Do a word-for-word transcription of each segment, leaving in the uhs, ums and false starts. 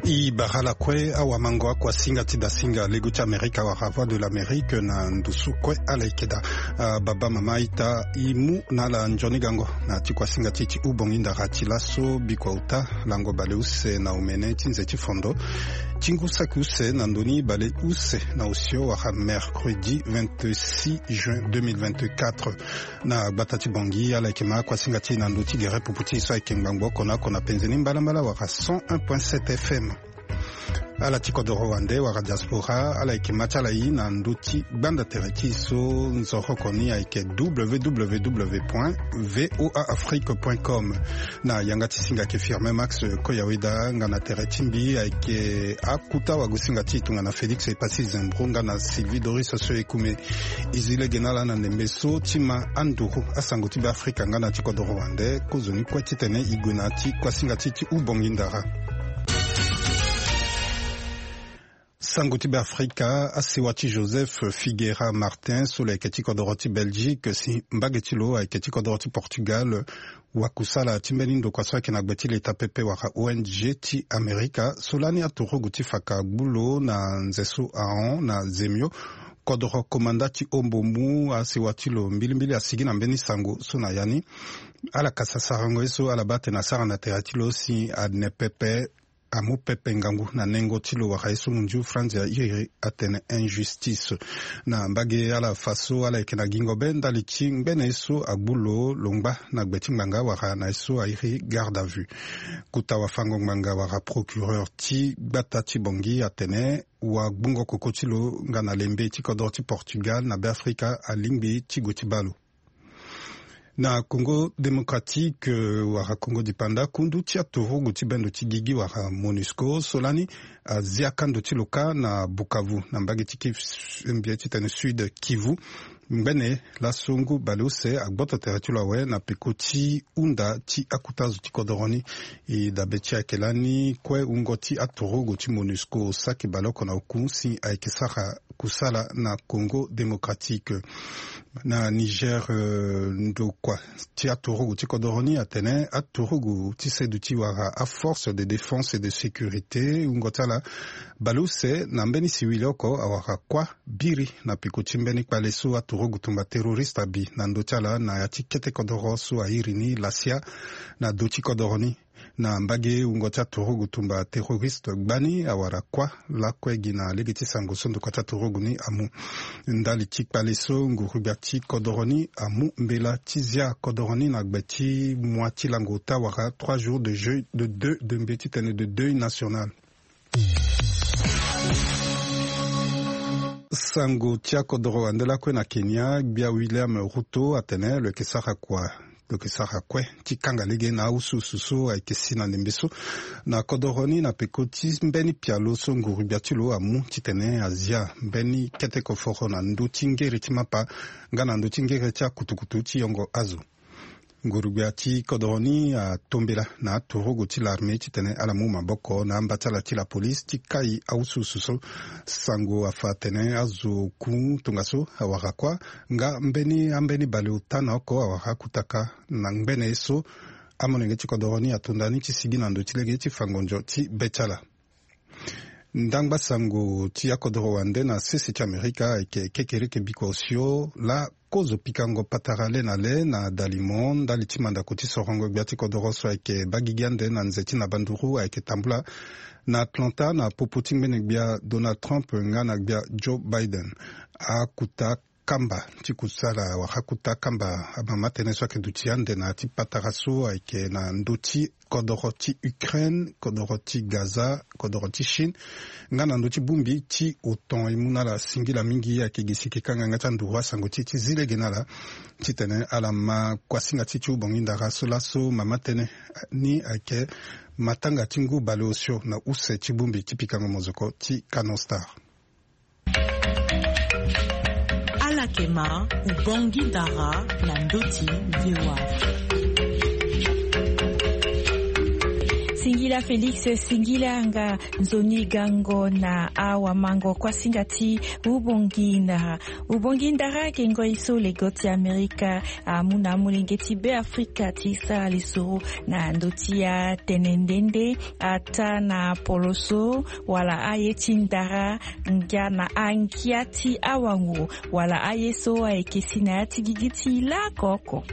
I bara ala kue awamango akuasinga ti dasinga lego ti Amerika wala Voix de l'Amérique na ndusu kue ala yeke daa. Ah, baba mama ita, i mu na ala nzoni gango na ti kuasinga ti ti hubongi ndara ti laso bikua uta lango baleuse na omene ti nze ti fondo ti ngu saki use na ndoni baleuse na osio wala mercredi vingt-six juin deux mille vingt-quatre. Na gbata ti Bangui ala yeke ma kuasinga ti na ndö ti gere pupu ti e so ayeke ngbangbo oko na oko na penze ni mbalambala wala cent un point sept F M. Ala ti kodoro wande wala diaspora ala yeke ma ti ala i na ndö ti gbanda tere ti e so nzoroko ni ayeke W W W point V O A Afrique point com. Na yanga ti singa ayeke Firmin Max Koyaweda, nga na tere ti mbi ayeke akuta wagosinga ti e tongana Félix Epassi Zembro nga na Sylvie Doris Soyekume. E zi lege na ala na ndembe so ti ma anduru asango ti Beafrika nga na ti kodoro wande kozoni kue titene e gue na ya ti kuasinga ti e ti hubongi ndara. Sango ti Beafrika, asewa ti Joseph Figueira Martin so lo yeke ti kodoro ti Belgique si mbage ti lo ayeke ti kodoro ti Portugal, wakusala ti mbeni ndokua so ayeke na gbe ti leta pepe wala O N G ti Amerika so lani aturugu ti faka gbu lo na nze so ahon na zemio. Kodoro komanda ti ombo mu asewa ti lo mbilimbili asigi na mbeni sango so na ya ni. Ala kasa sarango ye so ala baa atene asara na tere ti lo si ane pepe amu pepe ngangu na nengo ti lo wala ye so mondio Franz airi atene injustice. Na mbage ala fa so ala yeke na gingo be ndali ti ngbene ye so agbu lo lo ngba na gbe ti ngbanga wala na ye so airi garde à vue. Kota wafango-ngbanga wala procureur ti gbata ti Bangui atene wagbungo koko ti lo nga na lembe ti kodoro ti Portugal na Beafrika alingbi ti gue ti baa lo. Na Congo Démocratique, euh, wala Congo Dipanda, kundu ti aturugu ti bendo ti gigi wala MONUSCO so lani azia kando ti lo kâ na Bukavu na mbage ti Kiv-, mbi ye titene Sud Kivu. Ngbene laso ngu baleuse agboto tere ti lo awe na peko ti hunda ti akota zo ti kodoro ni. E dabe ti ayeke lani kue wungo ti aturugu ti MONUSCO saki baleoko na oku si ayeke sara kusala na Congo Démocratique. Na Niger, euh, ndokua ti aturugu ti kodoro ni atene aturugu ti seduti wala aforce de défense et de sécurité wungo ti ala baleuse na mbeni siwili oko awara kuâ biri na peko ti mbeni kpale so aturugu tumba terroriste abi na ndö ti ala na ya ti kete kodoro so airi ni Lasia na do ti kodoro ni. Na mbage wungo ti aturugu tumba terroriste gbani awara kuâ lakue gi na lege ti sango so ndokua ti aturugu ni amu. Ndali ti kpale so ngurugbia ti kodoro ni amu mbela ti zia kodoro ni na gbe ti moi ti lango ota wala trois jours de jeu de deuil, de mbi ye titene de deuil national. Sango ti akodoro wande lakue na Kenya, gbia William Ruto atene lo yeke sara kua, lo yeke sara kue ti kanga lege na awusuwusu so ayeke si na ndembe so na kodoro ni na peko ti mbeni pialo so ngurugbia ti lo amu titene azia mbeni kete koforo na ndö ti ngere ti mapa nga na ndö ti ngere ti akutukutu ti yongo azo. Ngurugbia ti kodoro ni atombela na aturugu ti larme titene ala mu maboko na amba ti ala ti lapolise ti kai awusuwusu so. Sango afa atene azo ku tongaso awara kuâ nga mbeni ambeni baleota na oko awara akutaka na ngbene ye so amolenge ti kodoro ni ato nda ni ti sigi na ndo ti lege ti fango nzo ti be ti ala. Ndangba sango ti akodoro wande na sese ti Amerika ayeke kekereke bikua osio laa kozo pikango patara le na le na dalimo ndali ti mandako ti sorongo gbia ti kodoro so ayeke baa gigi ande na nze ti na banduru ayeke tambula na Atlanta na popo ti ngbene gbia Donald Trump nga na gbia Joe Biden. Akuta kamba ti kusala wala akuta kamba amama tënë so ayeke duti ande na ya ti patara so ayeke na ndö ti kodoro ti Ukraine, kodoro ti Gaza, kodoro ti Chine nga na ndö ti bongbi ti OTAN. E mu na ala singila mingi ayeke gi si e yeke kanga yanga ti anduru asango ti e ti zi lege na ala titene ala ma kuasinga ti e ti hubongi ndara so laso mama tënë ni ayeke matanga ti ngu bale osio na use ti bongbi ti pikango mozoko ti Canon Star. Ala yeke ma hubongi ndara na ndö ti V O A Afrique. Ila Félix Singila nga nzoni gango na awa mango kwa singa ti Ubongi Ndara. Ubongi Ndara ke ngoi so lego ti Amerika amu na amolenge ti Be Afrika ti sara lisoro na ndö ti atene nde nde ata na poloso wala aye ti ndara nga na angia ti awango wala aye so ayeke si na ya ti gigi ti lakoko.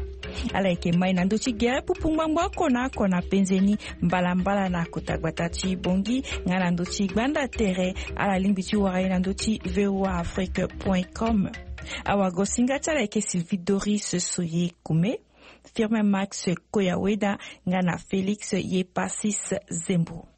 Ala yeke mai na ndö ti gere pupu ngbangbo oko na oko na penze ni mbalambala na kota gbata ti Bongi nga na ndö ti gbanda tere. Ala lingbi ti wara ye na ndö ti V O A Afrique point com. Awagosinga ti ala yeke Sylvie Doris Soye Kume, Firmin Max Koyaweda nga na Félix Yepasis Zembo.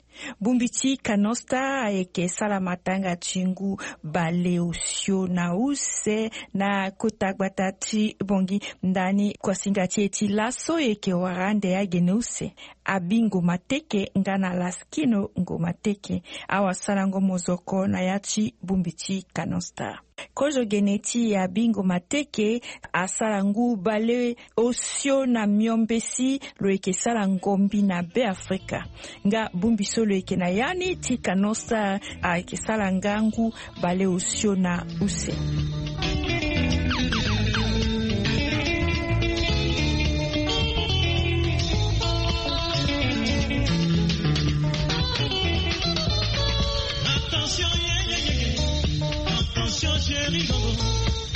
Bongbi ti Canon Star ayeke sara matanga ti ngu baleosio na use na kota gbata ti Bongi ndani kuasinga ti e ti laso e yeke wara ande agene use Abingo Mateke nga na Laskino Ngo Mateke. Awasarango mozoko na ya ti bongbi ti Canon Star. Kozo gene ti Abingo Mateke asara ngu baleosio na miombe si lo yeke sara ngombi na Be Afrika. Nga bongbi so lo yeke na ya ni ti Canon Star ayeke sara nga ngu baleosio na use. Attention, yeah, yeah, yeah, yeah. Attention, chérie, oh.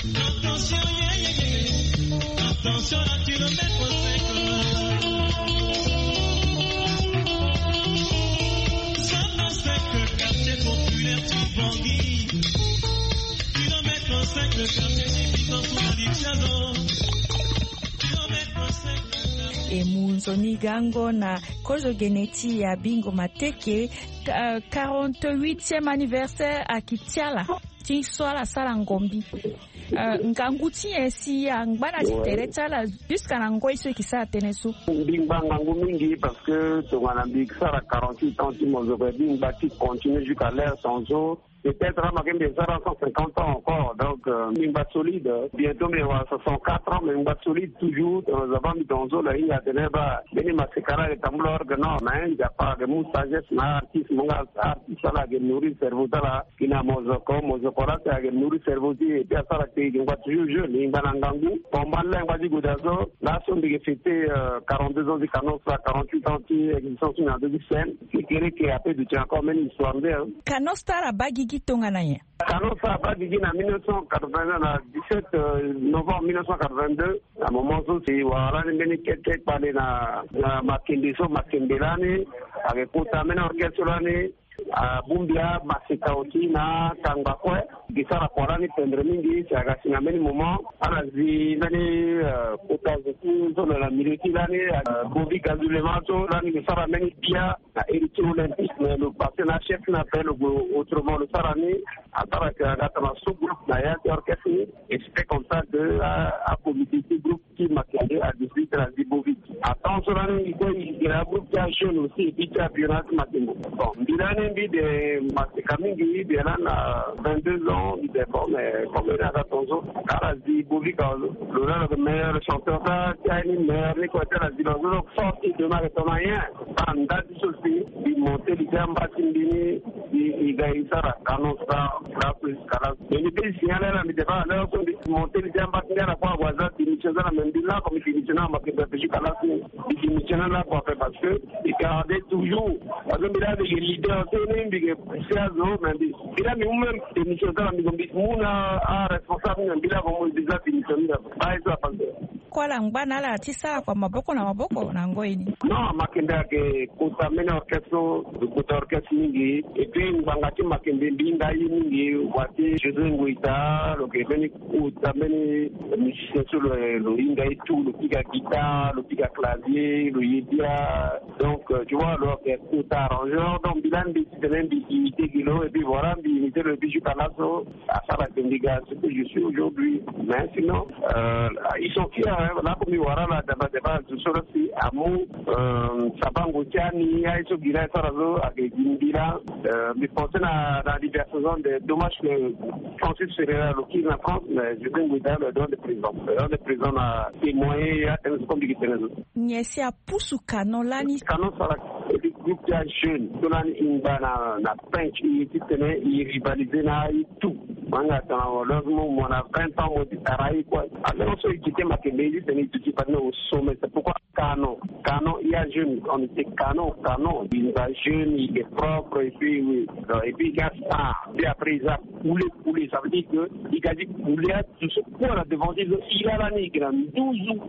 Attention, yeah, yeah, yeah, yeah. Attention, à kilomètre cinq. Zone cinq, quartier populaire du Bangui. Kilomètre cinq, quartier Division sous la Litiazo. Kilomètre cinq. E mu nzoni gango na kozo gene ti Abingo Mateke, quarante-huitième anniversaire ayeke ti ala. Ti so ala sara ngombi. Euh, ngangu ti nyen si angba na ti tere ti ala jusqu'à na ngoi so e yeke sara tënë so? Mbi ngba ngangu mingi parce que tongana mbi sara quarante-huit ans ti mozoko, mbi ngba ti continuer jusqu'à l'heure tongaso. Peut-être ama ke mbi sara cent cinquante ans encore, donc euh, mbi ngba solide. Bientôt mbi wara soixante-quatre ans, mbi ngba solide toujours. Tongana zaba mbi tongaso lo hinga atene baa mbeni maseka la ayeke tambula orgue, non, mais nzapa ayeke mu sagesse na artiste mo nga. Artiste ala ayeke nourrir cerveau ti ala. Gi na mozoko, mozoko la si ayeke nourrir cerveau ti e, et puis asara ti e ngba toujours jeune, e ngba na ngangu. Combat lengba ti gue daa so, laso mbi yeke fêter euh, quarante-deux ans ti Canon Star, quarante-huit ans ti existence na ndö ti scène. Ti kere ke ape duti encore même histoire nde, hein. Canon Star abaa gigi tongana nyen? Canon Star abaa gigi na mille neuf cent quatre-vingt-deux, na dix-sept euh, novembre mille neuf cent quatre-vingt-deux. Na moment so si wara lani mbeni keke kpale na, na makembe so, makembe lani ayeke kota mbeni orchestre lani. Abongbi amaseka aussi na kangba kue. Gi sara kua lani pendre mingi si aga si na mbeni moment ala zi mbeni euh, kota zo ti zo na milieu ti lani, euh, Bobby Gazulema so lani lo sara mbeni bia na héritier olympique, mais lo passé na chef na ape lo gue autrement, lo sara ni asara ke aga tana so groupe na ya ti orchestre ni. Et c'était comme ça que a, a comité ti groupe ti Makiadi a décidé ti la zi Bobby. Attends so lani i kue i gue na groupe ti ajeune aussi et puis ti avieux na ti Makiadi. Bon, mbi lani mbi de maseka mingi, mbi lani na vingt-deux ans, mbi de bon, mais comme ena aga tongaso ala zi Bobby ka lo lani lo meilleur chanteur, sa ti aye ni meilleur ni kue ti ala zi lo so. Force de ma ke tongana nyen? Baa nda ti so si mbi monté li ti amba ti mbi ni. Mbi ga e sara Canon Star. Mais mbi pe signaler ala mbi te baa leo so mbi monté li ti amba ti mbi ala kue ague aza démission ti ala, mais mbi lako mbi démissionné na Makiadi jusqu'à la fin. Mbi démissionné lako ape parce que mbi gardé toujours, parce que mbi laa mbi yeke leader so ni mbi yeke poussé azo, mais mbi mbi laa mbi mu même démission ti ala mbi ko mbi mu na aresponsable ni, mais mbi lako mu mbi za démission ni. Baa ye so afa nde. Kue ala ngba na ala ti sara kua maboko na maboko na ngoi ni. Non, Makembe ayeke kota mbeni orchestre so, kota orchestre mingi. Et puis ngbanga ti Makembe mbi hinga ye mingi. Wa ti José Nguita lo yeke mbeni kota mbeni musicien so lo, lo hinga ye tout, lo pika guitare, lo pika clavier, lo ye bia. Donc euh, tu vois, lo yeke kota arrangeur. Donc mbi lani mbi ti tene mbi imité gi lo et puis voilà mbi imité lo et puis jusqu'à laso asara ke mbi ga ce que je suis aujourd'hui. Mais sinon euh, ils sont fiers, hein. Lako mbi wara ala daba daba zo so la si amu euh, sabango ti ani aye so gi la e sara so ayeke gi mbi la. Euh, mbi pensé na, na anniversaire so ande, dommage que Francis Ferreira lo kiri na France, mais je vais lui donner le don de prison. Le don de prison na témoigner ya tene so comme mbi gi tene so. Nyen si apusu Canon lani? Canon sara Groupe ti ajeune so lani e ngba na na pinch, e ye titene e rivaliser na aye tout. Mo yanga tongana mo loge mo mo na vingt ans mo ti tara aye kue. Alonge so e kite makembe ye titene e duti fade na au sommet. C'est pourquoi canon, canon, il y a jeune, on était canon, canon. Il va jeune, il est propre, et puis, oui. Et puis il y a star. Puis après il y a poulet, poulet, ça veut dire que il a dit poulet. Tout ce qu'on a devant lui, il a la nègre en douze.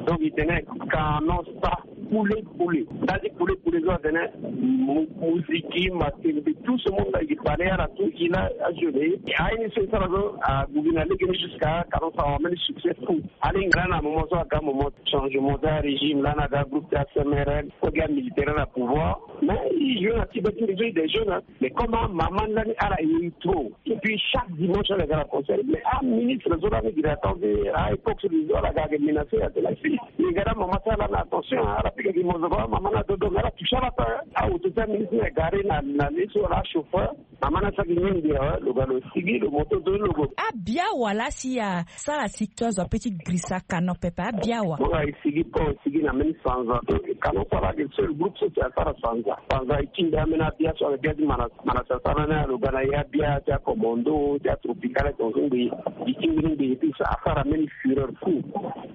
Donc il tenait canon, star, poulet, poulet. Nda ti poulet, poulet so atene mu- muziki, matembe, tout ce monde là, il parlait à la tout, il a ajeune. Aye ni so e sara so ague gi na lege ni jusqu'à canon sara ambeni succès fou. Alingbi lani na moment so aga moment changement ti arégime, lani aga groupe ti acmrn, so gi amilitaire na pouvoir. Mais il joue na ti be ti nde so, il est jeune, hein. Mais comme amama ni lani ala iri trop. Et puis chaque dimanche ala ga na concert. Mais aministre so lani gi na temps ti a époque so, ala ga ayeke menacer, atene si e ga na mama ti ala na attention, ala pika gi mozoko, amama ni adodo, mais ala touche ala pe. Aoto ti aministre ni egare na na le so, ala achauffeur. Mama ni asara gi ni ndia, lo ga lo sigi, lo moto do lo go. Abia wala si asara si to azo ape ti grisa canon pepe, abia wa. Mo ga e sigi po, e sigi na mbeni sanza. Canon sara ayeke seul groupe so si asara sanza. Sanza e ti nde ambeni abia so ayeke bia ti mana mana sasana ni, lo ga na ya bia ti acommando ti atropical, tonso ngbii, e ti mbeni ngbii, et puis asara mbeni fureur fou.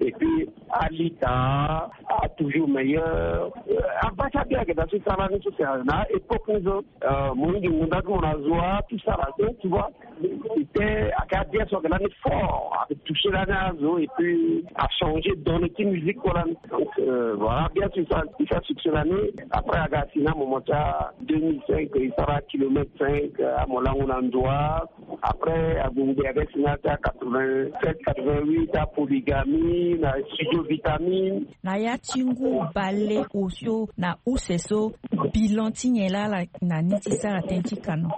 Et puis alita, a toujours meilleur. Abata bia ayeke da so sara ni so si na époque ni so, mo hingi ngonda ti mo na zo a tout sara so, tu vois. C'était, ayeke abia so ayeke lani fort, ayeke toucher lani azo, et puis a changer donne ti musique kue lani. Donc voilà, bien sûr, ça, il fait succès lani. Après aga si na moment ti a deux mille cinq, e sara kilomètre cinq, amo lango na ndoa. Après ague ngbe aga si na ti a quatre-vingt-sept, quatre-vingt-huit, a Polygamie na studio Vitamine. Na ya ti ngu bale osio na use so, bilan ti nyen laa ala na ni ti sara tënë ti canon?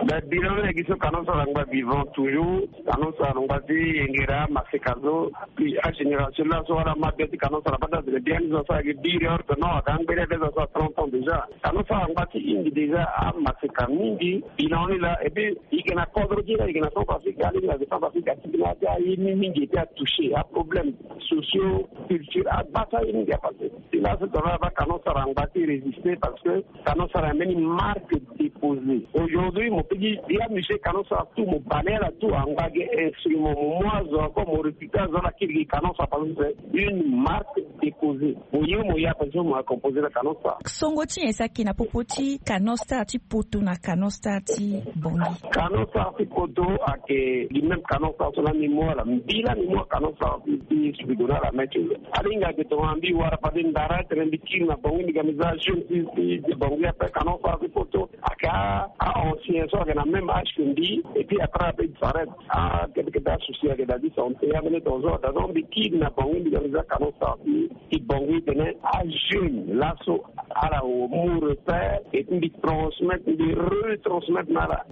Ben bilan ni na gi so canon so ala ngba vivant toujours. Canon so ala ngba ti yengera maseka so. Puis agénération laso ala ma bia ti canon so ala bata tene bia ni zo so ayeke biri or que non, aga angbeni ade zo so a trente ans déjà. Canon so ala ngba ti hingi déjà amaseka mingi. Bilan ni laa, et puis e yeke na kodro ti e laa, e yeke na Centrafrique, alingbi ayeke Centrafrique, atiki na ya ti aye ni mingi, et puis atoucher aproblème socio culture, abata ye mingi apassé. Ti laso tongana ala baa canon so ala ngba ti résister, parce que canon so ala mbeni marque déposée. Aujourd'hui mo peut dire ya monsieur canon so ala tout, mo bale ala tout, angba ge instrument, mo mu azo encore, mo récupérer azo, ala kiri gi canon so ala, parce que c'est une marque déposée. Mo ye mo ye apassé, mo a composer na canon so ala. Songo ti nyen si ayeke na popo ti canon star ti poto na canon star ti Bangui? Canon star ti poto ayeke gi même canon star so lani mo ala mbi lani mo canon star ti ti subigo na ala maitre. Alingbi ayeke tongana mbi wara fade ndara tene mbi kiri na Bangui, mbi ga mbi za jeune ti ti Bangui ape. Canon star ti poto ayeke a ancien so ayeke na même âge que mbi, et puis après ape disparaître. Akete kete asouci ayeke da ti santé, ambeni tongaso da so mbi kiri na Bangui, mbi ga mbi za canon star ti ti Bangui tene ajeune laso ala mu repère, et puis mbi transmettre, mbi retransmettre na ala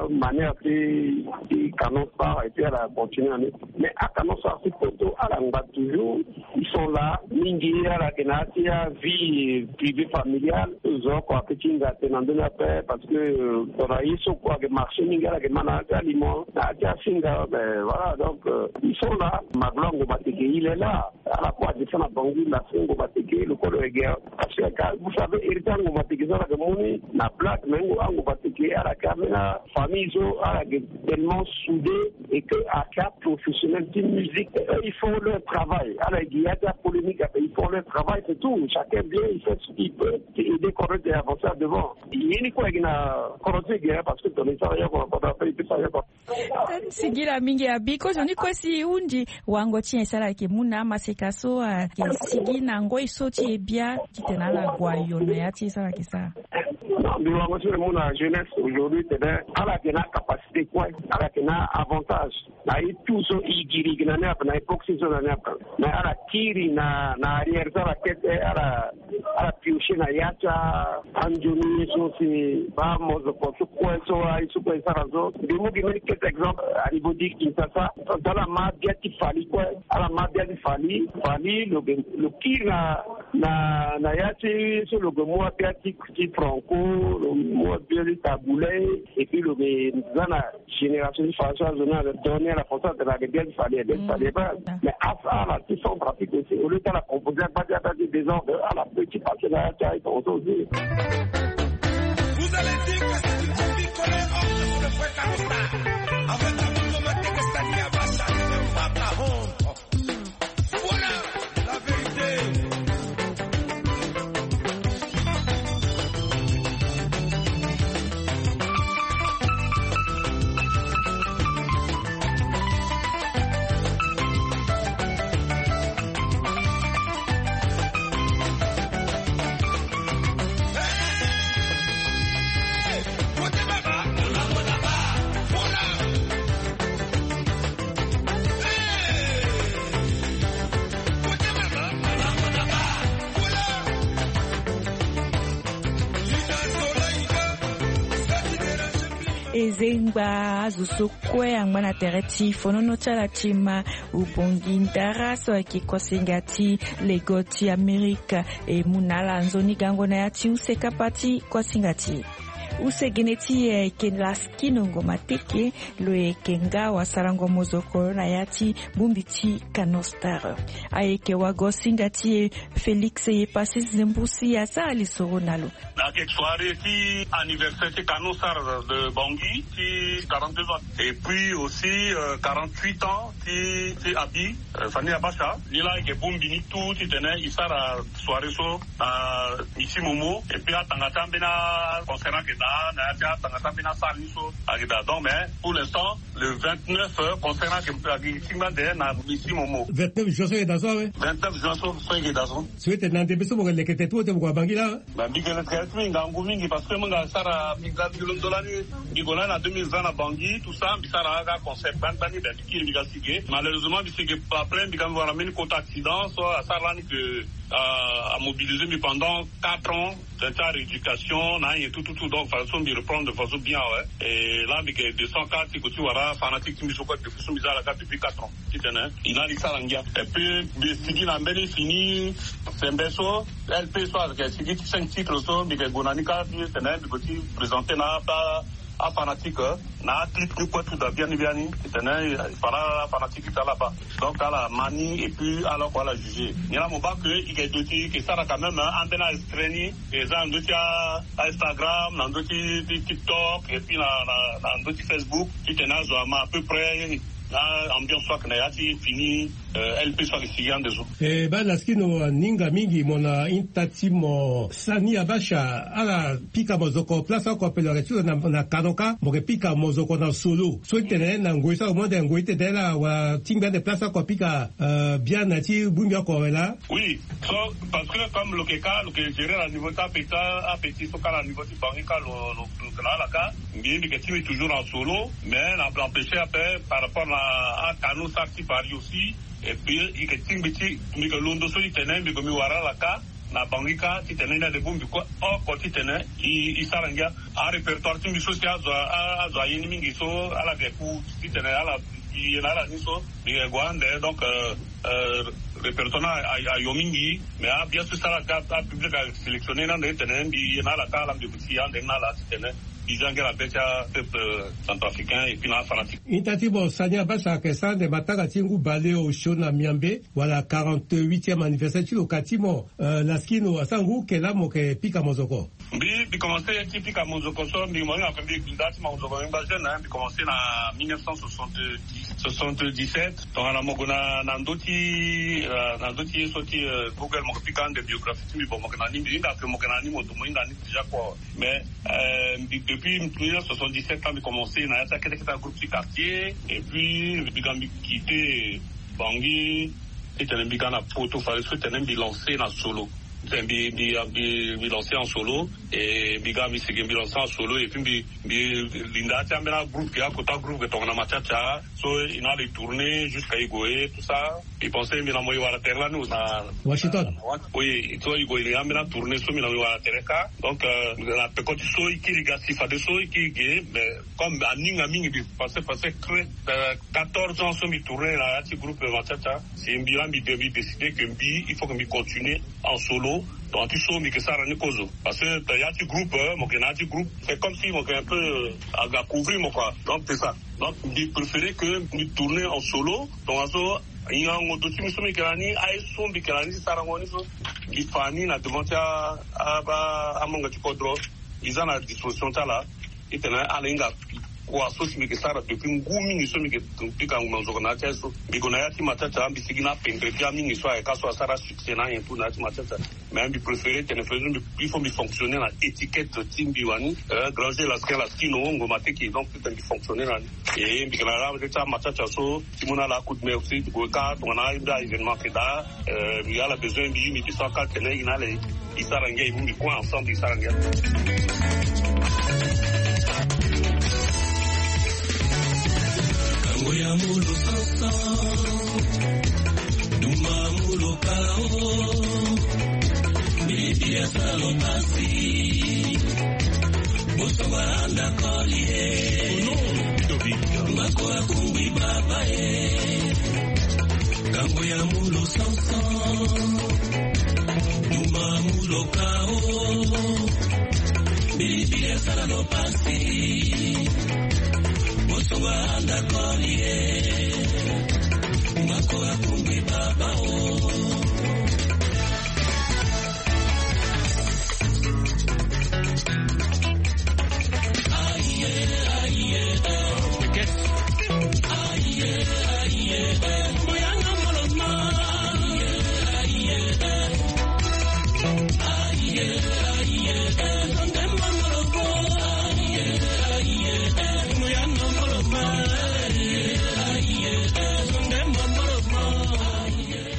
amanière ti ti canon star, et puis ala continuer na ni. Mais acanon star ti poto ala ngba toujours. Ils sont là mingi, ala yeke na ya ti avie privée familiale. Zo oko ayeke ti hinga atene na ndö ni ape, parce que tongana ye so kue ayeke marché mingi, ala yeke ma na ya ti aliment, na ya ti asinga. Ben voilà, donc ils sont là. Maglo Angobateke, il est là. Ala kue adescend na Bangui, na so Angobateke lo kue lo yeke. Parce que vous savez, héritier Angobateke so ala yeke mu ni na blague, mais Angobateke ala yeke ambeni afamille so ala yeke tellement soudé, et que ayeke aprofessionnel ti musique. Eux ils font leur travail. Ala yeke gi ya ti apolémique ape, ils font leur travail, c'est tout. Chacun vient, il fait ce qu'il peut, ti aider kodro ti e avancer à devant. Ye ni kue ayeke na kodro ti e ge, parce que tongana e sara yoko na kodro ape, e peut sara yoko. Singila mingi abi. Kozoni kue si e hunzi wango ti nyen si ala yeke mu na amaseka so ayeke sigi na ngoi so ti e bia titene ala gue ayo na ya ti e so ala yeke sara? Non, mbi wango so mbi mu na jeunesse aujourd'hui tene ala yeke na capacité kue, ala yeke na avantage. Na ye tout so e giri gi na ni ape, na époque so e zo na ni ape. Mais ala kiri na na arrière so ala kete, ala ala piocher na ya ti anzoni ye so si baa mozoko so kue so aye so kue e sara so. Mbi mu gi mbeni kete exemple, à niveau ti Kinshasa, so ala ma bia ti Fally kue, ala ma bia ti Fally. Fally lo ge lo kiri na Na na ya ti so lo ke mu ape ati ti franco, lo mu ape ati tabule, et puis lo ke za na génération ti françois zona de donner la françois de la de bien fallait bien fallait pas. Mais à ça la ti centre afrique aussi au lieu ta la composer ba ti ata ti désordre à la petit passé na ya ti ayi ton aussi. Vous allez dire que c'est une copie collée entre le frère Carosta avec la maman Mateke Sania Bacha, c'est pas la honte. Voilà la vérité. Ezengba azo so kue angba na tere ti fonono ti ala ti ma ubongi ndara so ayeke kosinga ti lego ti amerika. E mu na ala nzoni gango na ya ti use kapa ti kosinga ti use gene ti e ayeke laskino ngo mateke. Lo yeke nga wasarango mozoko na ya ti bongbi ti kanostar. Ayeke wago singa ti e félix ye pasi zembusi asara lisoro na lo. Ayeke soirée ti anniversaire ti kanostar de bangi ti quarante-deux ans et puis aussi quarante-huit ans ti ti abi. Fani abasa ni la ayeke bongbi ni tout titene e sara soirée so na misi momo et puis atanga ti ambeni aconcert ayeke daa na ya ti atanga ti ambeni asara ni so ayeke daa donc mais pour l'instant le vingt-neuf concert ayeke tingba nde na misi momo. Vingt-neuf juin so ayeke daa so awe. Vingt-neuf juin so so ayeke daa so. So ete na ndembe so mo yeke leke tete ti mo te mo gue na bangi laa. Ba mbi gele teke ti mbi ngangu mingi parce que mbi nga sara mbi nga mbi londo lani. Mbi gue lani na deux mille vingt na bangi tout ça mbi sara aga concert gbani gbani ben mbi kiri mbi ga sige malheureusement mbi sige après mbi ga mbi wara mbeni kota accident so asara lani ke amobilise mbi pendant quatre ans. Tene ti aréducation na anyen tout tout tout donc fade so mbi reprendre de façon bien awe. Et là mbi ke descend ka ti ko ti wara fanatique ti mbi so kue depuis so mbi za ala ka depuis quatre ans. Titene e na li sara ngia et puis mbi sigi na mbeni fini sembe so lp so ayeke sigi ti cinq titres so mbi yeke gue na ni ka ti tene mbi gue ti présenter na apa afanatique na aclipe ni kue tout da biani biani. Titene e fara afanatique ti ala baa donc ala ma ni et puis ala oko ala juger ni la mo baa ke e yeke do ti e yeke sara quand même ambeni aextrait ni e za na ndö ti a instagram na ndö ti tiktok et puis na ndö ti facebook. Titene azo ama à peu près na ambiance so ayeke na ya ti fini. Lp so ayeke sigi ande so. E baa laskino aninga mingi mo na hinta ti mo sani abasha ala pika mozoko place oko ape lo yeke ti lo na kanoka mo yeke pika mozoko na solo so ti tene na ngoi so amo ande ngoi ti tene ala wala tingbi ande place oko apika biana ti bongbi oko awe laa. Oui. So parce que comme lo yeke ka lo yeke gérer na niveau ti ape ti ape ti so ka na niveau ti bangi ka lo lo lo yeke na ala ka. Mbi mbi yeke tingbi toujours na solo mais na empêcher ape par rapport na akanu sara ti paris aussi. Et puis e yeke tingbi ti mbi yeke londo so ti tene mbi yeke mbi wara ala ka na bangi ka ti tene ni ande bongbi kue oko ti tene e sara ngia. Arépertoire ti mbi so si azo aye ni mingi so ala yeke ku ti tene ala e ye na ala ni so mbi yeke gue ande donc répertoire ni ayo mingi. Mais abia so si ala ka apublic asélectionner ni ande ti tene mbi ye na ala ka ala mbi yeke ti ye ande ni na ala ti tene mbi za ngia na be ti apeuple centrafricain et puis na afanatique. Hinta ti mo sani abasha ayeke sara ande matanga ti ngu bale osio na miambe wala quarante-huitième anniversaire ti lo ka ti mo. Laskino asara ngu kela mo yeke pika mozoko. Mbi mbi commence ti pika mozoko so mbi mo hinga mbi nda ti mozoko mbi ngba jeune na mbi commence na mille neuf cent soixante-dix soixante-dix-sept. Tongana mo gue na ndö ti na ndö ti ye so ti google mo yeke pika ande biographie ti mbi bon mo yeke na ni mbi hinga ke mo yeke na ni mo domo hinga ni déjà kua. Mais mbi depuis mille neuf cent soixante-dix-sept ans mbi commence na ya ti akete kete agroupe ti quartier et puis mbi ga mbi quitter bangi ti tene mbi ga na poto fade so ti tene mbi lancer na solo. Mbi, mbi, mbi, mbi lancer en solo, et mbi ga mbi sigi mbi lancer en solo, et puis mbi, mbi linda ti ambeni agroupe ke, akota groupe ke tongana Mathiatia, so e na ala e tourner jusqu'à e gue, tout ça. Mbi pense mbi na mo e wara tere lani na Washington. Oui, so e gue e na ambeni atourner so mbi na mo e wara tere kâ. Donc, euh, na peko ti so e kiri ga si fadeso e kiri ge, mais comme aninga mingi mbi passe, passe très, euh, quatorze ans so mbi tourner na ya ti groupe Mathiatia. Si mbi la mbi de, mbi décider que mbi, il faut que mbi continuer en solo. Donc, ti so mbi ke sara ni kozo. Parce que, euh, ya ti groupe, euh, mo ke na ya ti groupe, c'est comme si mo ke un peu, euh, aga couvrir mo, quoi. Donc, c'est ça. Donc, mbi préférer que mbi tourner en solo. Donc, aso, hingango do ti mbi so mbi ke na ni, aye so mbi ke na ni ti sarango ni so, mbi fa ni na devant ti a, a, ba, amanga ti kodro. Mbi za na disposition ti ala. Titene ala hinga kua so si mbi ke sara depuis ngu mingi so mbi ke pika ngu na nzoko na ya ti aye so. Mbi gue na ya ti Mathiatia, mbi sigi na apendre ti amingi so ayeke aso asara succès na anyen tout na ya ti Mathiatia. Mais mbi préférer tene fadeso mbi, il faut mbi fonctionner na étiquette ti mbi wani, euh, Granger Laskin, Laskino, Ngo Mateke, donc titene mbi fonctionner na ni. Et mbi ke na la ti aMathiatia so, ti mu na ala coup de main aussi, ti gue kâ tongana mbi a événement ke daa, euh, mbi ala besoin mbi, mbi descend kâ tene e na ala e sara ngia, e mu mbi kue ensemble e sara ngia. Kango ya mulu sansan, duma mulu kao, bibi ya salo pasi. Bosongo anda koli e. Ono, Ludovic. Mako akungwi baba e. Kango ya mulu sansan. Duma mulu kao. Bibi ya sala lo pasi. Bosongo anda koli e. Mako akungwi baba o.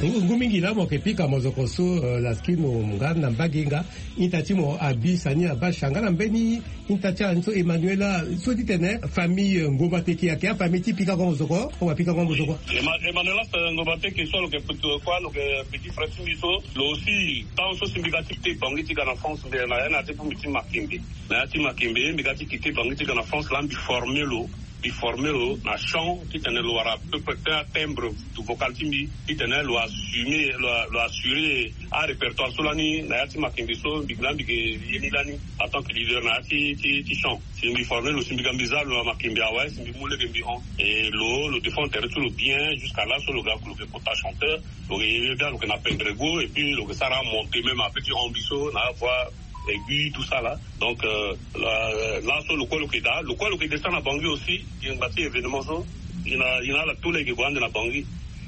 Ngu, ngu mingi laa mo yeke pika mozoko so, euh, Laskino nga na mbage nga. Ita ti mo abi sani abasha nga na mbeni ita ti ala ni so Emmanuela so ti tene famille, euh, Ngomba Teke ayeke afamille ti pikango mozoko, o wa pikango mozoko. Emma-, Emmanuela, euh, Ngomba Teke so lo yeke petit, kua lo yeke petit frère ti mbi so, lo aussi, temps so si mbi ga ti kite Bangui ti ga na France, mbi na ya na ya ti fu mbi ti Makembe. Na ya ti Makembe, mbi ga ti kite Bangui ti ga na France, laa mbi former lo. Mbi former lo na chant, titene lo wara à peu près un timbre vocal ti mbi, titene lo assumer, lo, lo assurer arépertoire so lani na ya ti Makembe so, mbi laa mbi ke ye ni lani en tant que leader na ya ti, ti, ti chant. Si mbi former lo, si mbi ga mbi za lo na Makembe awe, si mbi mu lege mbi hon. Et lo, lo défend tere ti lo bien, jusqu'à là so lo ga lo ke kota chanteur, lo ke ye bia, lo ke na pendrego, et puis lo ke sara monter même un peu ti hon mbi so na voix aiguë, tout ça là. Donc, euh, là, là, so lo kue lo ke daa, lo kue lo ke descend na Bangui aussi, e na gba ti événement so, e na, e na ala tout lege gue ande na Bangui.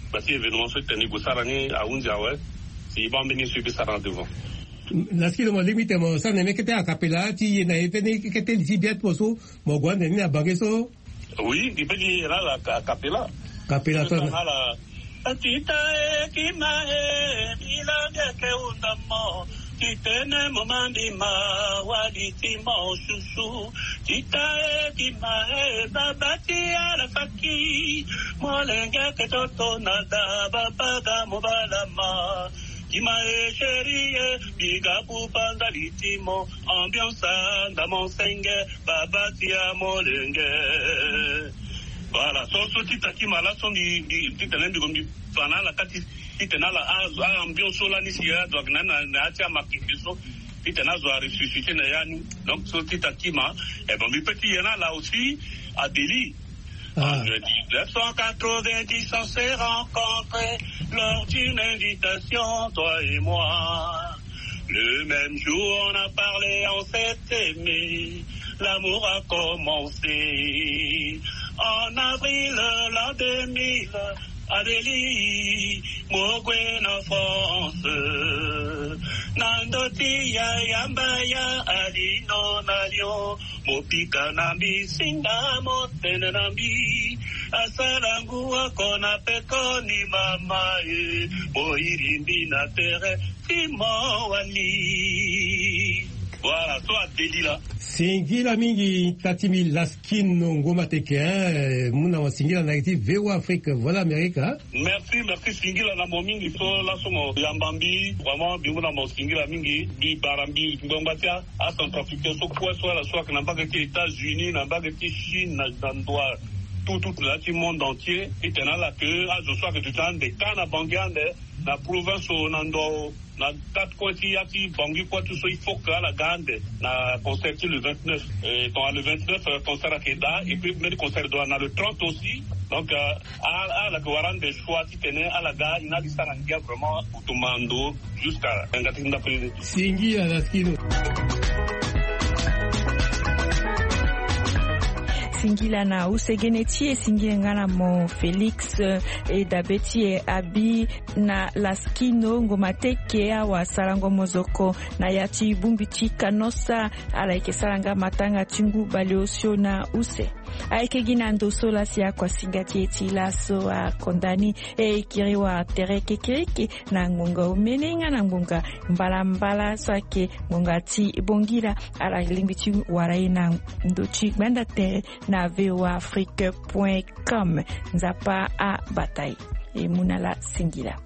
Gba ti événement so titene e gue sara ni ahunzi awe, si e baa mbeni so e peut sara na devant. Laskino, mo lingbi tene mo sara na mbi kete a cappella ti ye na ye tënë kete li ti bia ti mo so mo gue ande ni na Bangui so. Oui, mbi peut ti ye na ala a cappella. Cappella, tongana ala. Tita e, kima e, mbi la mbi yeke hunda mo. Ti tene mo ma mbi ma, wali ti mo susu. Tita e, kima e, baba ti ala faki. Molenge yeke toto na da, baba ga mo bala ma. Kima e, chéri e, mbi ga buba ndali ti mo. Ambiance anda mo senge, baba ti amolenge. Voilà, so, so tita kima laa so mbi, mbi, titene mbi gue mbi fa na ala kâ ti, titene ala a, a ambiance so lani si azo ayeke na, na, na ya ti amakembe so, titene azo aressusciter na ya ni. Donc so tita kima, eh ben, mbi peut ti ye na ala aussi, Adélie. Ah. En dix-neuf cent quatre-vingt-dix, on s'est rencontrés lors d'une invitation, toi et moi. Le même jour, on a parlé, on s'est aimé. L'amour a commencé. En avril, l'an deux mille, Adélie, mo gue na France. Na ndö ti yaya Mbaya Alino na Lyon. Mo pika na mbi, singa mo tene na mbi. Asara nguwa kona pekoni mama e, moyiri mbi na tere ti mawani. Voilà, so adeli la. Singila mingi tati mbi Laskino Ngoma Teke, hein, muna wa singila na ti V O A Afrique, voilà Amerika. Merci, merci, singila na mo mingi so laso mo yamba mbi, vraiment, mbi muna mo singila mingi, mbi bara mbi ngbangba ti a, a Centrafricain so kue so ala so ayeke na mbage ti États-Unis, na mbage ti Chine, na, na ndo a tout, tout na ya ti monde entier, titene ala ke azo so ayeke duti ande ka na Bangui ande, na province o, na ndo o, na quatre coins ti ya ti Bangui kue tout so, il faut que ala ga ande na concert ti le vingt-neuf. Et donc, le vingt-neuf, euh, concert ayeke daa, et puis mbeni concert doit na le trente aussi. Donc, euh, ala, ala yeke wara ande choix titene ala ga, ina ali sara ngia vraiment, wutu ma ndo jusqu'à nga ti ndako ye. Singila Laskino. Singila na use gene ti e, singila nga na mo Félix, eh, e dabe ti e Abi na Laskino Ngoma Teke, awasarango mozoko na ya ti bongbi ti Canossa. Ala yeke sara nga matanga ti ngu baleosio na use. Ayeke gi na ndo so laa si akuasinga ti e ti laso akonda ni. E kiri wara tere kekereke na ngonga omene nga na ngonga mbalambala so ayeke ngonga ti bongila. Ala lingbi ti wara e na ndo ti gbanda tere na V O A Afrique point com. Nzapa abata e. E mu na ala singila.